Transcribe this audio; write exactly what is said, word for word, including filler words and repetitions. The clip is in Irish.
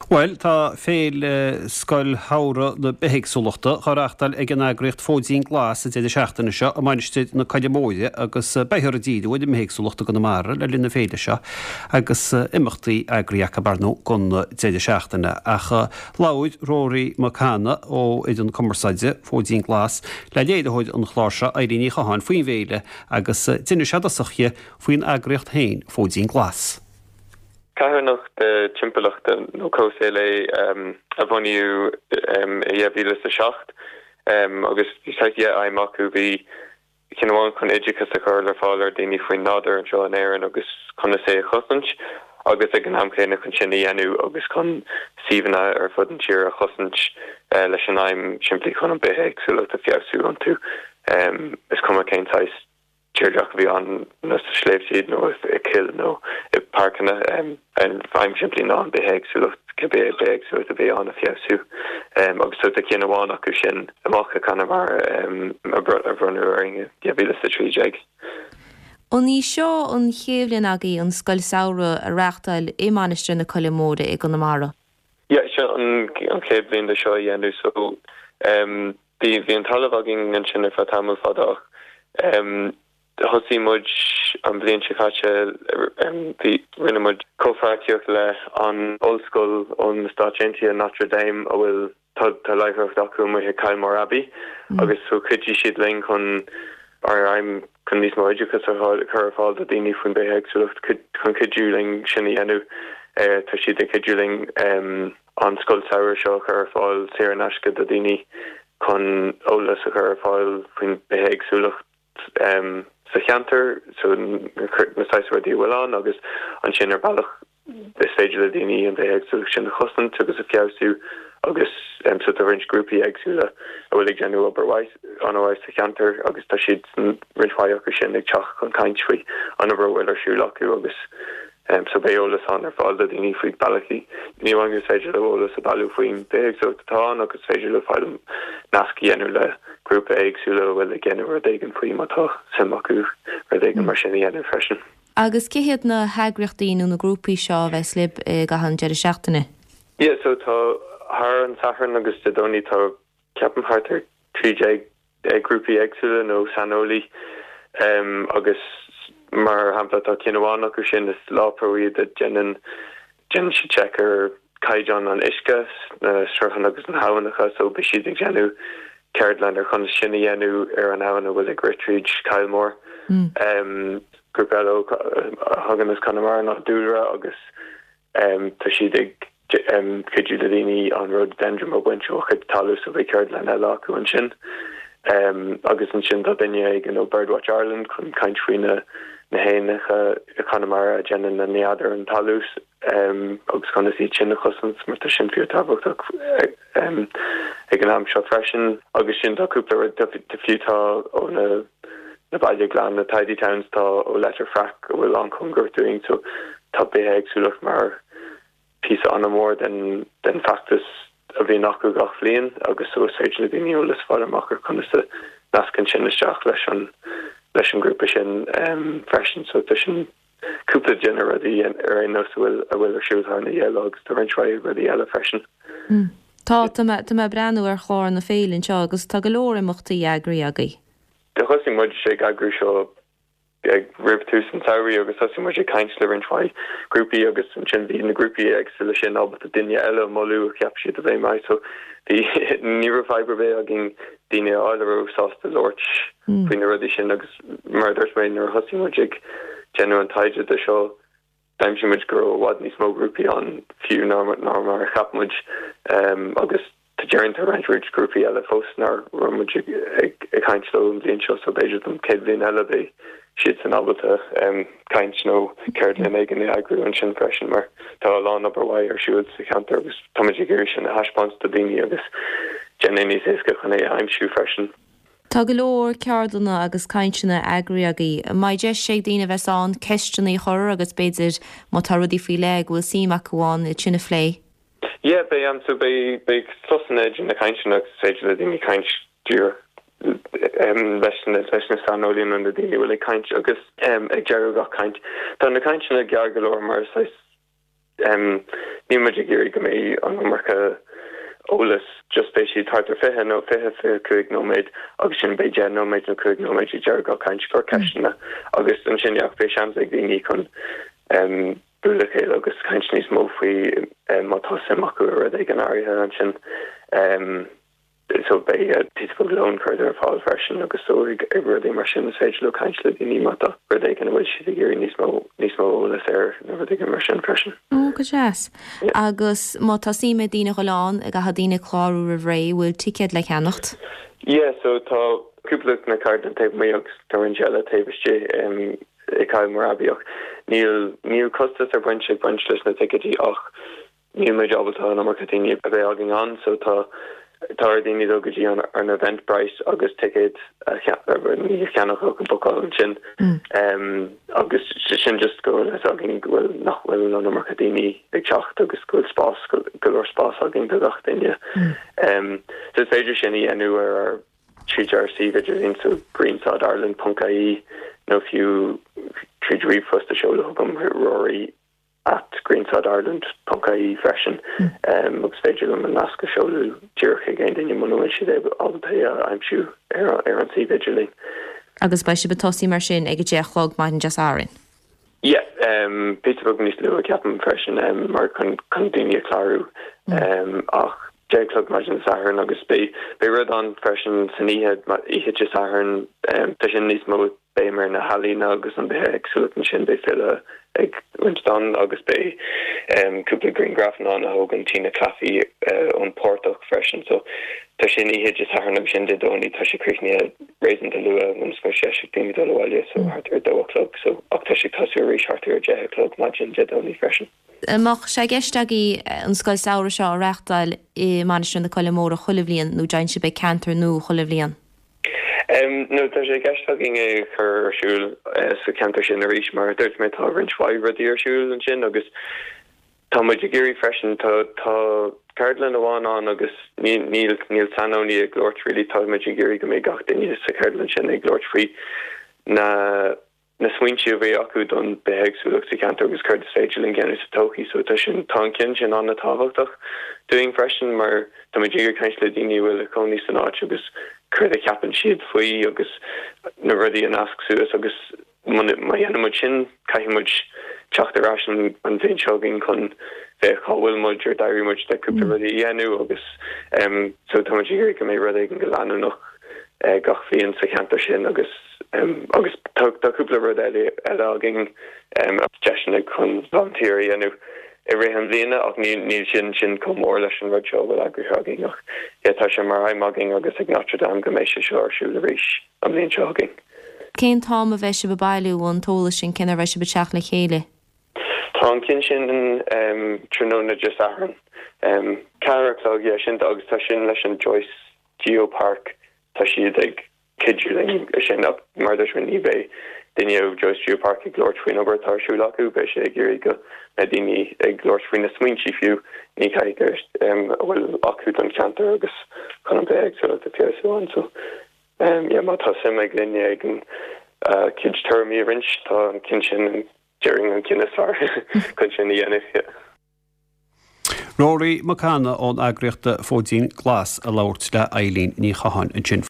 Bhuel, tá Féile Scoil Shamhraidh na Bithéagsúlachta á reáchtáil ag an eagraíocht Fóidín Glas an deireadh seachtaine seo i Mainistir na Coille Móire agus beifear ag díriú ar an mbithéagsúlacht i gConamara le linn na féile seo agus imeachtaí eagraithe acu ar ndóigh don deireadh seachtaine. Ach labhair Rory Mac Cana ó fhoireann cumarsáide Fóidín Glas le léiritheoir an chláir seo Eilín Ní Chatháin faoin bhféile agus d'inis sé i dtosach di faoin eagraíocht féin Fóidín Glas. Carthanacht timpeallachta nó comhshaoil é a bunaíodh i dhá mhíle is a seacht agus bhí saghas dhá aidhm acu, bhí ceann amháin chun oideachas a chur ar fáil ar daoine faoin nádúr anseo in Éirinn agus conas é a chosaint agus ag an am chéanna chun sin a dhéanamh agus chun suíomhanna ar fud an tír a chosaint leis an aidhm simplí chun an bithéagsúlacht a feabhsú iontu. Is cuma cén saghas tírdhreach a bhí ann nó sna sléibhte nó i gcoill nó i bpáirceanna. An aidhm simplí ná an bithéagsúlacht, cibé bithéagsúlacht a bhí ann a feabhsú. Agus tá ceann amháin acu sin amach i gConamara a bronnadh orainn i dhá mhíle is a trí déag. An í seo an chéad bhliain agaibh an scoil samhraidh a reáchtáil i Mainistir na Coille Móire i gConamara? Yeah, seo an chéad bhliain de seo a dhéanamh so bhí bhí an talamh againn ansin ar feadh tamall fada ach thosaigh muid an bhliain seo caite bhí rinne muid comhpháirtíocht le an ollscoil ón na Stáit Aontaithe Notre Dame a bhfuil tá tá láithreacht acu amuigh i Kylemore Abbey agus so chuidigh siad linn chun ár aidhm chun níos mó oideachas a chur ar fáil do daoine faoin bithéagsúlacht chun cuidiú linn sin a dhéanamh. Tá siad ag cuidiú linn an scoil samhraidh seo a chur ar fáil saor in aisce do daoine chun eolas a chur ar fáil faoin bithéagsúlacht sa cheantar, so na saghas rudaí a bhfuil ann agus ansin ar bealach is féidir le daoine an bithéagsúlacht sin a chosaint agus a feabhsú agus so tá roinnt grúpaí éagsúla a bhfuil ag déanamh obair mhaith an-mhaith sa cheantar agus tá siad roinnt mhaith acu sin ag teacht chun caint faoi an obair a bhfuil ar siúl acu agus so beidh eolas ann ar fáil do daoine faoi bealaí ní amháin gur féidir leo eolas a bhailiú faoin bithéagsúlacht atá ann agus is féidir leo fáil nasc a dhéanamh le grúpa éagsúla a bhfuil ag déanamh rud éigin faoi má tá suim acu rud éigin mar sin a dhéanamh freisin. Agus cé hiad na heagraíochtaí nó na grúpaí seo a bheas libh i gcaitheamh an deireadh seachtaine? Yeah, so tá thar an Satharn agus Dé Domhnaigh tá ceapaim thart ar trí déag grúpaí éagsúla nó saineolaí um, agus mar shampla tá ceann amháin acu sin is LawPro iad a déanann déanann siad check ar caighdeán an uisce na sruthanna agus na habhannacha so beidh siad ag déanamh ceardlann ar conas sin a dhéanamh ar an abhainn a bhfuil ag rith tríd Kylemore. Mm. Um, grúpa eile a thagann as Conamara ná Dúlra agus um, tá siad ag um, cuidiú le daoine an rhododendron a bhaint ó chuid talamh so beidh ceardlann eile acu ansin. Um, agus ansin tá duine éigin ó Birdwatch Ireland chun caint faoi na na héanacha i Conamara a déanann na nead ar an talamh um, agus conas iad sin a chosaint mar tá sin fíorthábhachtach um, ag an am seo freisin agus sin tá cúpla rud tá fiú tá ó na na Baile Glan na Tidy Towns tá ó Leitir Fraic a bhfuil an-chóngarach dúinn so tá bithéagsúlacht mar píosa an-mhór den den feachtas a bhíonn acu gach bliain agus so is féidir le daoine eolas fáil amach ar conas a nascann sin isteach leis an leis an grúpa sin um, freisin so tá sin cúpla de na rudaí ar aon nós a bhfuil a bhfuil ar siúl thar na dhá lá agus tá roinnt mhaith rudaí eile freisin. Mm. Tá tá mé tá mé ag breathnú ar chlár na féile anseo agus tá go leor imeachtaí eagraithe agaibh. Do thosaigh muid ag eagrú seo ag roimh tús an tsamhraidh agus thosaigh muid ag caint le roinnt mhaith grúpaí agus ansin bhí na grúpaí éagsúla sin ábalta duine eile a mholadh a cheap siad a bheith maith so bhí ní raibh fadhb ar bith againn daoine a fháil a raibh sásta labhairt faoi na rudaí sin agus mar a dúirt mé nuair a thosaigh muid ag déanamh an taighde de seo d'aimsigh muid go raibh i bhfad níos mó grúpaí ann fiú ná ná mar a cheap muid um, agus tá déarfainn tá roinnt roinnt grúpaí eile fós nach raibh muid ag ag ag caint leo an bhliain seo so b'fhéidir don chéad bhliain eile beidh siad san ábalta um, caint nó ceardlann éigin a eagrú ansin freisin mar tá a lán obair mhaith ar siúl sa cheantar agus táimid ag iarraidh sin a thaispeáint do daoine agus déanamh níos éasca chun é a aimsiú freisin. Tá go leor ceardlanna agus cainteanna eagraithe agaibh. An mbeidh deis ag daoine a bheas ann ceisteanna a chur agus b'fhéidir má tá rudaí faoi leith go bhfuil suim acu ann iad sin a phlé. Yeah, beidh an so beidh beidh sosanna idir na cainteanna agus is féidir le daoine caint díreach um, leis na leis na saineolaithe nó na daoine a bhfuil ag caint agus um, ag deireadh gach caint. Tá na cainteanna gearr go leor mar is Níl muid ag iarraidh go mbeidh an iomarca eolas just beidh siad thart ar fiche nó fiche fiche cúig nóiméad agus sin beidh deich nóiméad nó cúig nóiméad ag deireadh gach caint do ceisteanna agus ansin yeah beidh seans ag daoine chun bualadh le chéile agus caint níos mó faoi má tá suim acu i rud éigin áirithe ansin. So beidh píosa beag lóin curtha ar fáil freisin agus so ag ag rudaí mar sin is féidir leo caint le daoine má tá rud éigin a bhfuil siad ag iarraidh níos mó níos mó eolas air nó rud éigin mar sin freisin. Ó go deas. Agus má tá suim ag daoine dhul ann, caithfidh daoine clárú roimh ré, bhfuil ticéad le ceannacht? Yeah, so tá cúpla na ceardlanna taobh amuigh agus tá roinnt eile taobh istigh i Kylemore ach níl níl costas ar baint ag baint leis na ticéidí ach níl muid ábalta an iomarca daoine a bheith againn ann so tá tá ar daoine dul go dtí an an Eventbrite agus ticéad a ní a cheannach ach a bhookáil ansin agus sin just go bhfuil fhios againn go bhfuil nach bhfuil an iomarca daoine ag teacht agus go bhfuil spás go leor spás againn do gach duine. So is féidir sin a dhéanamh ar ár tríd ár suíomh idirlín so greensodireland.ie nó fiú tríd ríomhphost a seoladh chugam rory at greensodireland.ie freisin agus féidir liom an nasc a seoladh díreach ag aon duine muna bhfuil siad ábalta é a aimsiú ar ar an suíomh idirlín. Agus beidh sibh ag tosú mar sin ag a deich a chlog maidin Dé Sathairn. Yeah, um, píosa beag níos luaithe ceapaim freisin um, mar chun chun daoine a chlárú um, ach deich a chlog maidin Sathairn agus beidh beidh rud ann freisin san oíche oíche Dé Sathairn um, tá sin níos mó béim ar na healaíona agus an bithéagsúlacht ansin beidh file ag roinnt dán agus beidh um, cúpla grianghraf ann a thógann Tina Claffey uh, ón portach freisin so tá sin oíche Dé Sathairn agus sin Dé Domhnaigh tá sé críochnaithe réasúnta luath ionas go sé daoine dul abhaile so thart ar dó a chlog so ach tá sé tosú arís thart ar deich a chlog maidin Dé Domhnaigh freisin. Mbeadh sé i gceist agaibh an scoil samhraidh seo a reáchtáil i Mainistir na Coille Móire chuile bhliain nó déanann sibh ceantar nua chuile bhliain? Um, no tá sé i gceist againn é chur ar siúl uh, sa ceantar sin arís mar dúirt mé tá roinnt mhaith rudaí ar siúl ansin agus tá muid ag iarraidh freisin tá tá ceardlann amháin ann agus níl níl níl saineolaí ag labhairt really tá muid ag iarraidh go mbeidh gach duine sa cheardlann sin ag labhairt faoi na na smaointe a bhí acu don bithéagsúlacht sa cheantar agus céard is féidir linn déanamh sa todhchaí so tá sin tá an ceann sin an-tábhachtach dúinn freisin mar tá muid ag caint le daoine bhfuil ag cónaí san áit agus céard a cheapann siad faoi agus na rudaí a nasc suas agus má dhéanann muid sin caithfidh muid teacht ar ais an an bhliain seo chugainn chun bheith cá bhfuil muid ar d'éirigh muid le cúpla rudaí a dhéanamh agus um, so tá muid ag iarraidh go mbeidh rud éigin go leanúnach uh, gach bliain sa cheantar sin agus um, agus tá tá cúpla rud eile eile againn um, deiseanna chun volunteer a dhéanamh i rith an bhliana ach níl níl sin sin chomh mór leis an rud seo bhfuil eagraithe againn ach yeah, tá sé mar aidhm againn agus ag Notre Dame go mbeidh sé seo ar siúl arís an bhliain seo chugainn. Cén t-am a bheidh sibh ag bailiú an t-eolas sin cén uair a bheidh sibh ag teacht le chéile? Tá an ceann sin um, tráthnóna Dé Sathairn. Um, ceathair a chlog yeah, sin agus tá sin leis an Joyce Geopark tá siad ag cuidiú linn sin ach mar dúirt mé ní bheidh duine ó Joyce Geopark ag labhairt faoin obair atá ar siúl acu beidh sé ag iarraidh go mbeidh daoine ag labhairt faoi na smaointe fiú ní caithfidh um, a bhfuil acu don cheantar agus chun an bithéagsúlacht a fheabhsú ann so um, yeah, má tá suim ag duine ag an uh, cuid tuairimí a roinnt tá an ceann sin déarfainn an ceann is fearr chun sin a dhéanamh. Yeah. Rory Mac Cana ón eagraíocht Fóidín Glas a labhairt le Eileen Ní Chatháin ansin.